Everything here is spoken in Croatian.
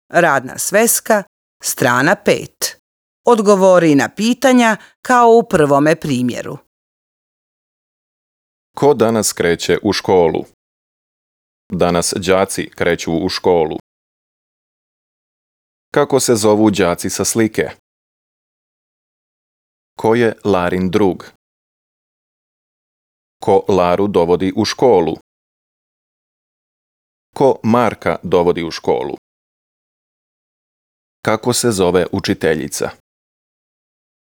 Radna sveska, strana 5. Odgovori na pitanja kao u prvome primjeru. Ko danas kreće u školu? Danas đaci kreću u školu. Kako se zovu đaci sa slike? Ko je Larin drug? Ko Laru dovodi u školu? Ko Marka dovodi u školu? Kako se zove učiteljica?